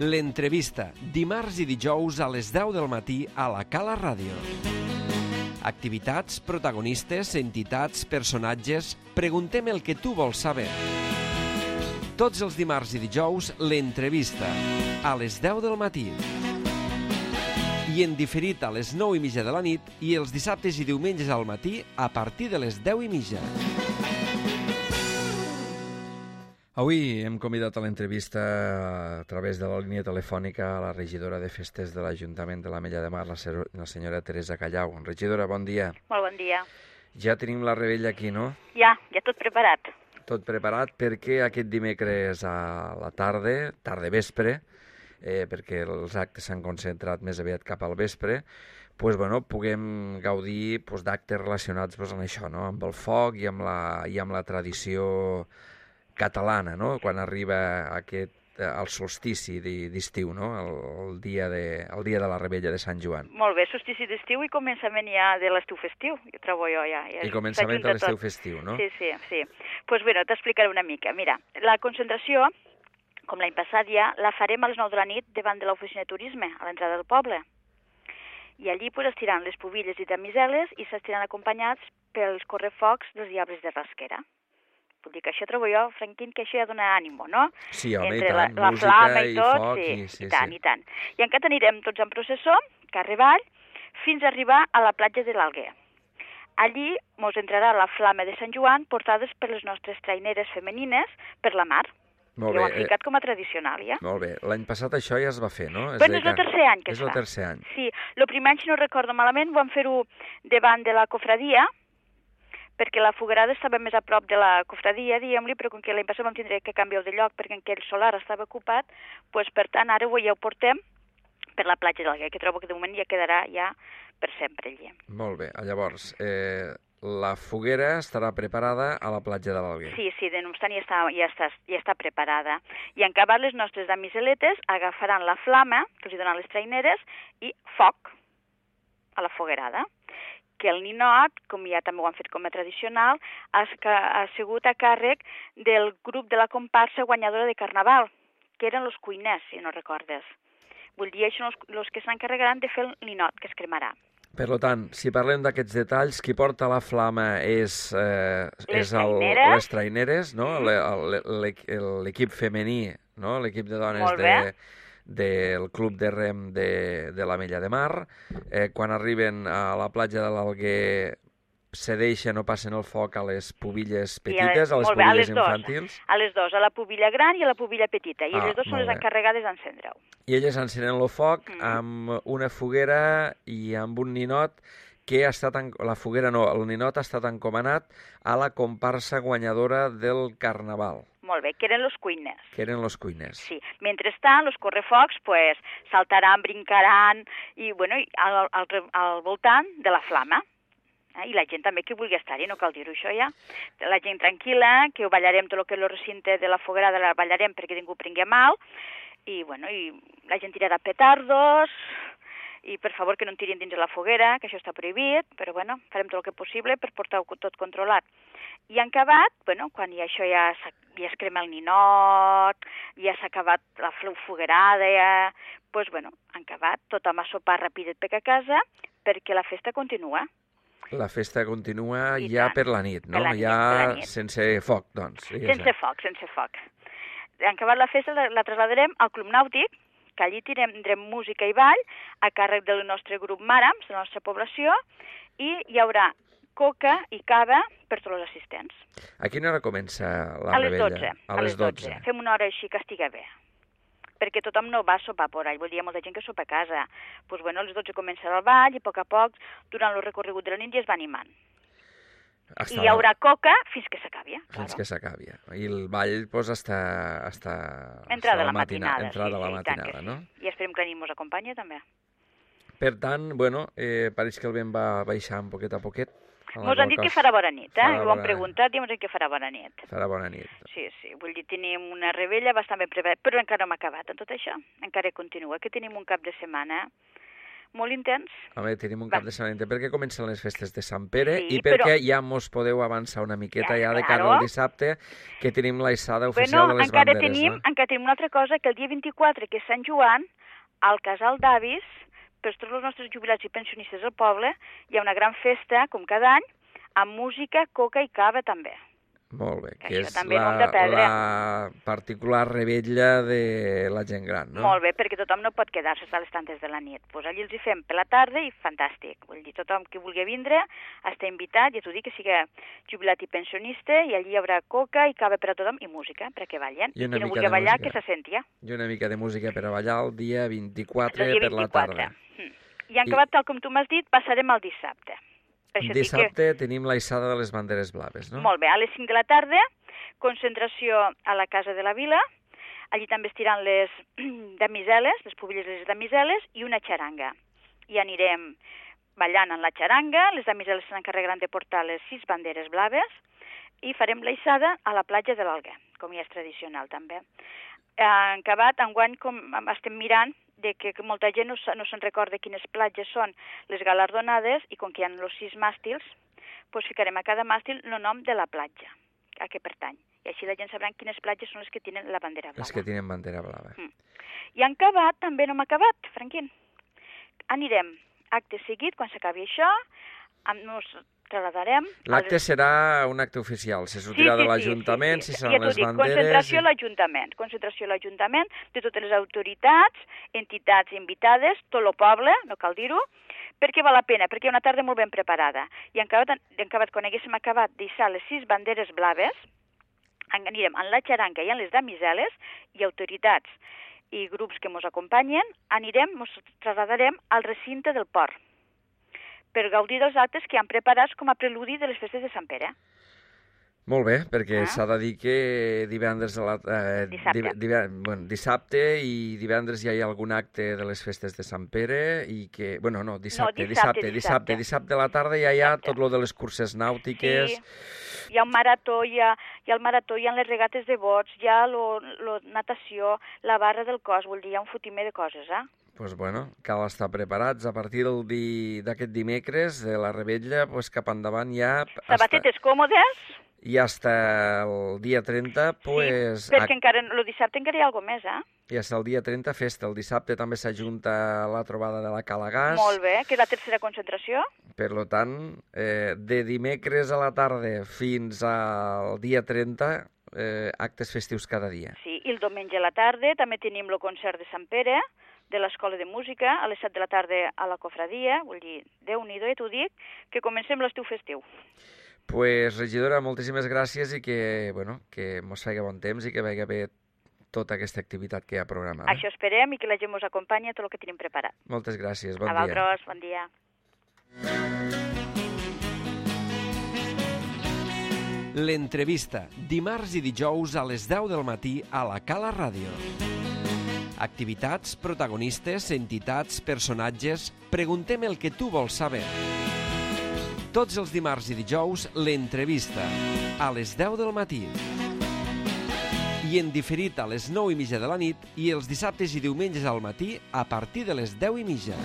L'entrevista, dimarts i dijous a les 10 del matí a la Cala Ràdio. Activitats, protagonistes, entitats, personatges... Preguntem el que tu vols saber. Tots els dimarts i dijous, l'entrevista, a les 10 del matí. I en diferit a les 9:30 de la nit i els dissabtes i diumenges al matí a partir de les 10:30. Avui hem convidat a l'entrevista a través de la línia telefònica a la regidora de Festes de l'Ajuntament de l'Ametlla de Mar, la senyora Teresa Callau. Regidora, bon dia. Molt bon dia. Ja tenim la revetlla aquí, no? Ja tot preparat. Tot preparat perquè aquest dimecres a la tarda vespre, perquè els actes s'han concentrat més aviat cap al vespre, puguem gaudir d'actes relacionats amb això, no? Amb el foc i amb la tradició catalana, no? Quan arriba el solstici d'estiu, no? El dia de la revetlla de Sant Joan. Molt bé, solstici d'estiu i començament ja de l'estiu festiu, trobo jo ja. I començament de l'estiu festiu, no? Sí. Doncs bé, t'explicaré una mica. Mira, la concentració, com l'any passat ja, la farem a les 9 de la nit davant de l'oficina de turisme, a l'entrada del poble. I allí es tiraran les pubilles i damiseles i s'estiran acompanyats pels correfocs dels diables de Rasquera. Vull dir que això trobo jo, Franquín, que això ja dona ànimo, no? Sí, home, entre i tant, la música flama i tot, foc, i tant. I encara anirem tots en processó, carrer avall, fins a arribar a la platja de l'Alguer. Allí mos entrarà la flama de Sant Joan portades per les nostres traineres femenines per la mar. Molt bé. Ho bé. han ficat com a tradicional, ja. Molt bé. L'any passat això ja es va fer, no? Però és el tercer any que es fa. És el tercer any. Sí, el primer any, si no recordo malament, vam fer-ho davant de la cofradia, perquè la foguerada estava més a prop de la cofradia, diguem-li, però com que l'any passat vam tindre que canviar de lloc perquè aquell solar estava ocupat, doncs, per tant, ara ja ho portem per la platja d'Alguer, que trobo que de moment ja quedarà ja per sempre allí. Molt bé. Llavors, la foguera estarà preparada a la platja de l'Alguer. Sí, de no obstant ja està preparada. I en acabat les nostres damiseletes agafaran la flama, que els hi donen les traineres, i foc a la foguerada. Que el ninot, com ja també ho han fet com a tradicional, ha sigut a càrrec del grup de la comparsa guanyadora de Carnaval, que eren els cuiners, si no recordes. Vull dir, això són els que s'encarregaran de fer el ninot, que es cremarà. Per tant, si parlem d'aquests detalls, qui porta la flama és les traineres, no? L'equip femení, no? L'equip de dones del Club de Rem de l'Ametlla de Mar. Quan arriben a la platja de l'Alguer cedeixen o passen el foc a les pubilles petites, a les pubilles infantils? A les dues, a la pubilla gran i a la pubilla petita, i elles dues són les encarregades d'encendre-ho. I elles encenen el foc amb una foguera i amb un ninot que el ninot ha estat encomanat a la comparsa guanyadora del Carnaval. Molt bé, que eren els cuiners. Sí. Mentrestant, els correfocs saltaran, brincaran i al voltant de la flama. I la gent també que vulgui estar-hi, no cal dir-ho això ja. La gent tranquil·la, que ho ballarem tot el que és el recinte de la foguerada, la ballarem perquè ningú prengui mal, i la gent tirarà petardos, i per favor que no en tirin dins de la foguera, que això està prohibit, però farem tot el que possible per portar-ho tot controlat. I en acabat, quan això ja es crema el ninot, ja s'ha acabat la foguerada, en acabat, tothom a sopar rapidet per a casa, perquè la festa continua. La festa continua ja per la nit, no? Ja sense foc, doncs. Sense foc. En acabat la festa la trasladarem al Club Nàutic, que allí tindrem música i ball a càrrec del nostre grup Màrams, de la nostra població, i hi haurà coca i cava per tots els assistents. A quina hora comença la revetlla? A les 12. Fem una hora així que estigui bé, perquè tothom no va a sopar por ahí, vull dir, hi ha molta gent que sopa a casa. Doncs a les 12 començarà el ball i a poc, durant el recorregut de la nit ja es va animant. I hi haurà coca fins que s'acabi. Fins que s'acabi. I el ball està entrada la matinada, no? I esperem que la nit mos acompanyi també. Per tant, pareix que el vent va baixant poquet a poquet. Mos han dit que farà bona nit, ho han preguntat i mos han dit que farà bona nit. Farà bona nit. Sí, vull dir, tenim una revetlla bastant ben preparada, però encara no hem acabat amb tot això, encara continua, que tenim un cap de setmana molt intens. Home, tenim un cap de setmana intens perquè comencen les festes de Sant Pere i perquè ja mos podeu avançar una miqueta ja de cara al dissabte, que tenim l'aixada oficial de les banderes. Encara tenim una altra cosa, que el dia 24, que és Sant Joan, al Casal d'Avis, per tots els nostres jubilats i pensionistes del poble, hi ha una gran festa, com cada any, amb música, coca i cava també. Molt bé, que és la particular revetlla de la gent gran, no? Molt bé, perquè tothom no pot quedar-se a les tantes de la nit. Pues allí els hi fem per la tarda i fantàstic. Vull dir, tothom que vulgui vindre està invitat, ja t'ho dic, que sigui jubilat i pensionista, i allí hi haurà coca i cava per a tothom i música, perquè ballen. I qui no vulgui ballar, que se senti. I una mica de música per a ballar el dia 24 per la tarda. I en acabat, tal com tu m'has dit, passarem al dissabte. Dissabte tenim l'aixada de les banderes blaves, no? Molt bé, a les 5 de la tarda, concentració a la Casa de la Vila, allí també es tiran les damiseles, les pubilles de les damiseles, i una xaranga. I anirem ballant en la xaranga, les damiseles s'encarregaran de portar les 6 banderes blaves, i farem l'aixada a la platja de l'Alguer, com ja és tradicional també. En acabat, enguany, com estem mirant, de que molta gent no se'n recorda quines platges són les galardonades, i com que hi ha els 6 màstils, doncs ficarem a cada màstil el nom de la platja a què pertany. I així la gent sabrà quines platges són les que tenen la bandera blava. Les que tenen bandera blava. I en acabat, també no hem acabat, Franquín. Anirem, acte seguit, quan s'acabi això, nos trasladarem... L'acte serà un acte oficial, se sortirà de l'Ajuntament, si seran les banderes... Concentració a l'Ajuntament, de totes les autoritats, entitats invitades, tot el poble, no cal dir-ho, perquè val la pena, perquè hi ha una tarda molt ben preparada. I en acabat, quan haguéssim acabat d'hissar les 6 banderes blaves, anirem en la xaranga i en les damiseles, i autoritats i grups que ens acompanyen, ens trasladarem al recinte del port, per gaudir dels actes que han preparats com a preludi de les festes de Sant Pere. Molt bé, perquè s'ha de dir que dissabte i divendres ja hi ha algun acte de les festes de Sant Pere i que... Bueno, no, dissabte a la tarda ja hi ha tot lo de les curses nàutiques... Sí, hi ha un marató, hi ha el marató, hi ha les regates de bots, hi ha la natació, la barra del cos, vull dir, hi ha un fotimer de coses, Doncs bueno, cal estar preparats. A partir d'aquest dimecres, de la revetlla, cap endavant ja... Sabatetes còmodes. I fins el dia 30, pues... Sí, perquè encara, el dissabte encara hi ha alguna més, I fins el dia 30, festa. El dissabte també s'ajunta la trobada de la Calagàs. Molt bé, que és la tercera concentració. Per tant, de dimecres a la tarda fins al dia 30, actes festius cada dia. Sí, i el diumenge a la tarda també tenim el concert de Sant Pere, de l'Escola de Música, a les 7 de la tarda a la Cofradia, vull dir, Déu-n'hi-do, t'ho dic, que comencem l'estiu festiu. Pues, regidora, moltíssimes gràcies i que mos faci bon temps i que vagi bé tota aquesta activitat que hi ha programada. Això esperem i que la gent mos acompanyi a tot el que tenim preparat. Moltes gràcies, bon dia. A vosaltres, bon dia. L'entrevista, dimarts i dijous a les 10 del matí a la Cala Ràdio. Activitats, protagonistes, entitats, personatges... Preguntem el que tu vols saber. Tots els dimarts i dijous, l'entrevista, a les 10 del matí. I en diferit a les 9:30 de la nit i els dissabtes i diumenges al matí a partir de les 10:30.